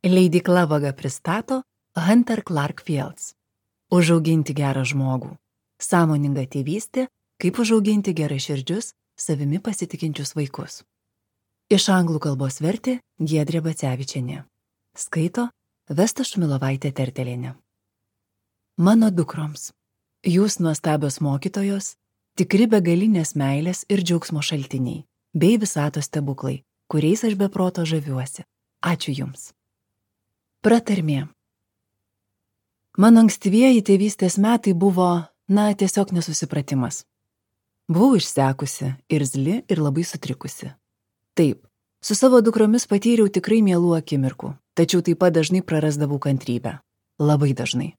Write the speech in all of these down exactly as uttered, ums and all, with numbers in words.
Leidykla Vaga pristato Hunter Clark Fields. Užauginti gerą žmogų. Sąmoninga tėvystė, kaip užauginti geraširdžius, savimi pasitikinčius vaikus. Iš anglų kalbos vertė Giedrė Bacevičienė. Skaito Vesta Šumilovaitė Tertelienė. Mano dukroms. Jūs nuostabios mokytojos, tikri begalinės meilės ir džiaugsmo šaltiniai, bei visatos stebuklai, kuriais aš be proto žaviuosi. Ačiū Jums. Pratarmė. Mano ankstyvieji tėvystės metai buvo, na, tiesiog nesusipratimas. Buvau išsekusi, irzli ir labai sutrikusi. Taip, su savo dukromis patyriau tikrai mielų akimirkų, tačiau taip pat dažnai prarasdavau kantrybę. Labai dažnai.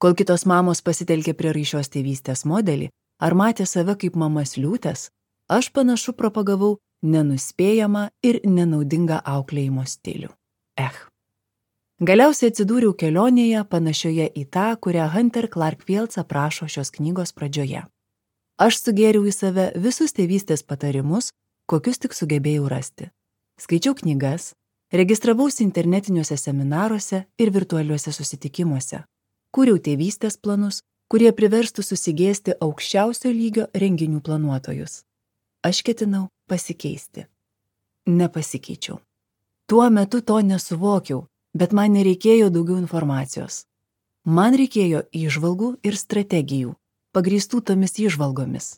Kol kitos mamos pasitelkė prieraišios tėvystės modelį ar matė save kaip mamas liūtės, aš panašu propagavau nenuspėjamą ir nenaudingą auklėjimo stilių. Ech. Galiausiai atsidūriau kelionėje panašioje į tą, kurią Hunter Clark Fields aprašo šios knygos pradžioje. Aš sugėriau į save visus tėvystės patarimus, kokius tik sugebėjau rasti. Skaičiau knygas, registravausi internetiniuose seminaruose ir virtualiuose susitikimuose. Kūriau tėvystės planus, kurie priverstų susigėsti aukščiausio lygio renginių planuotojus. Aš ketinau pasikeisti. Nepasikeičiau. Tuo metu to nesuvokiau, bet man nereikėjo daugiau informacijos. Man reikėjo įžvalgų ir strategijų, pagrįstų tomis įžvalgomis.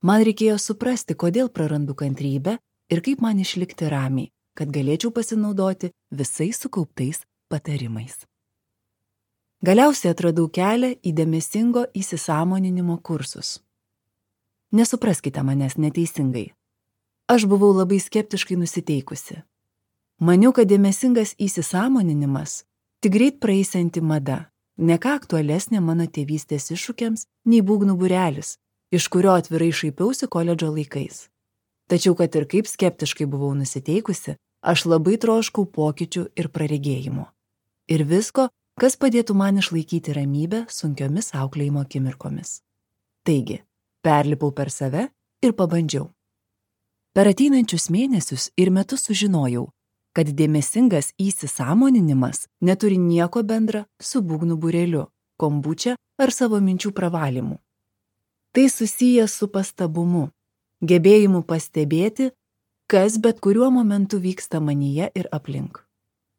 Man reikėjo suprasti, kodėl prarandu kantrybę ir kaip man išlikti ramiai, kad galėčiau pasinaudoti visais sukauptais patarimais. Galiausiai atradau kelią į dėmesingo įsisąmoninimo kursus. Nesupraskite manęs neteisingai. Aš buvau labai skeptiškai nusiteikusi. Maniau, kad dėmesingas įsisąmoninimas tik greit praeisianti mada, ne ką aktualesnė mano tėvystės iššūkiams nei būgnų būrelis, iš kurio atvirai šaipiausi koledžo laikais. Tačiau, kad ir kaip skeptiškai buvau nusiteikusi, aš labai troškau pokyčių ir praregėjimo. Ir visko, kas padėtų man išlaikyti ramybę sunkiomis auklėjimo akimirkomis. Taigi, perlipau per save ir pabandžiau. Per ateinančius mėnesius ir metus sužinojau, kad dėmesingas įsisąmoninimas neturi nieko bendra su būgnų būreliu, kombučia ar savo minčių pravalymu. Tai susiję su pastabumu, gebėjimu pastebėti, kas bet kuriuo momentu vyksta manyje ir aplink.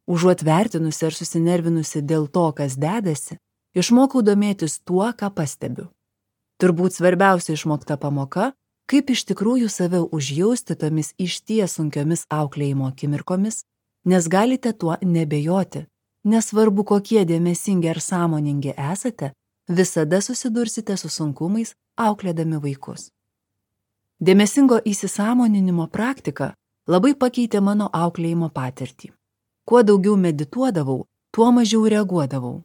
Užuot vertinusi ar susinervinusi dėl to, kas dedasi, išmokau domėtis tuo, ką pastebiu. Turbūt svarbiausia išmokta pamoka, kaip iš tikrųjų save užjausti tomis išties sunkiomis auklėjimo akimirkomis, nes galite tuo nebejoti, nesvarbu kokie dėmesingi ar sąmoningi esate, visada susidursite su sunkumais auklėdami vaikus. Dėmesingo įsisąmoninimo praktika labai pakeitė mano auklėjimo patirtį. Kuo daugiau medituodavau, tuo mažiau reaguodavau.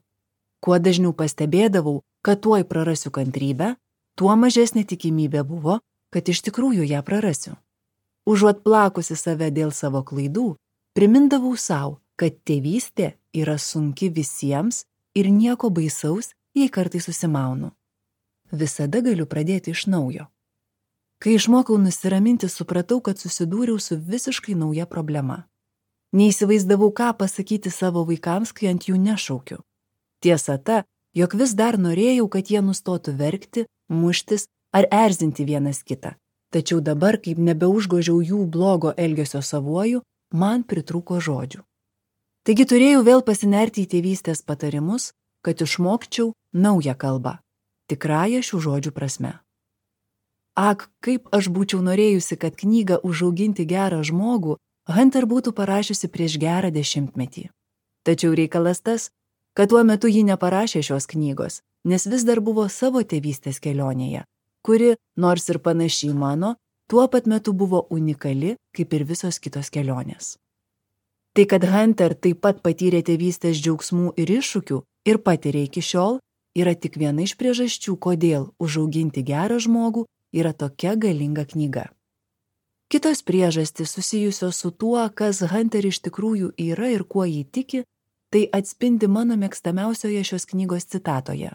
Kuo dažniau pastebėdavau, kad tuoj prarasiu kantrybę, tuo mažesnė tikimybė buvo, kad iš tikrųjų ją prarasiu. Užuot plakusi save dėl savo klaidų, primindavau savo, kad tėvystė yra sunki visiems ir nieko baisaus, jei kartais susimaunu. Visada galiu pradėti iš naujo. Kai išmokau nusiraminti, supratau, kad susidūriau su visiškai nauja problema. Neįsivaizdavau, ką pasakyti savo vaikams, kai ant jų nešaukiu. Tiesa ta, jog vis dar norėjau, kad jie nustotų verkti, muštis ar erzinti vienas kitą. Tačiau dabar, kaip nebeužgožiau jų blogo elgesio savuoju, man pritrūko žodžių. Taigi turėjau vėl pasinerti į tėvystės patarimus, kad išmokčiau naują kalbą, tikrąją šių žodžių prasme. Ak, kaip aš būčiau norėjusi, kad knygą Užauginti gerą žmogų Hunter būtų parašiusi prieš gerą dešimtmetį. Tačiau reikalas tas, kad tuo metu ji neparašė šios knygos, nes vis dar buvo savo tėvystės kelionėje, kuri, nors ir panašiai mano, tuo pat metu buvo unikali, kaip ir visos kitos kelionės. Tai, kad Hunter taip pat patyrė tėvystės džiaugsmų ir iššūkių ir patiria iki šiol, yra tik viena iš priežasčių, kodėl Užauginti gerą žmogų yra tokia galinga knyga. Kitos priežastys susijusios su tuo, kas Hunter iš tikrųjų yra ir kuo jį tiki, tai atspindi mano mėgstamiausioje šios knygos citatoje.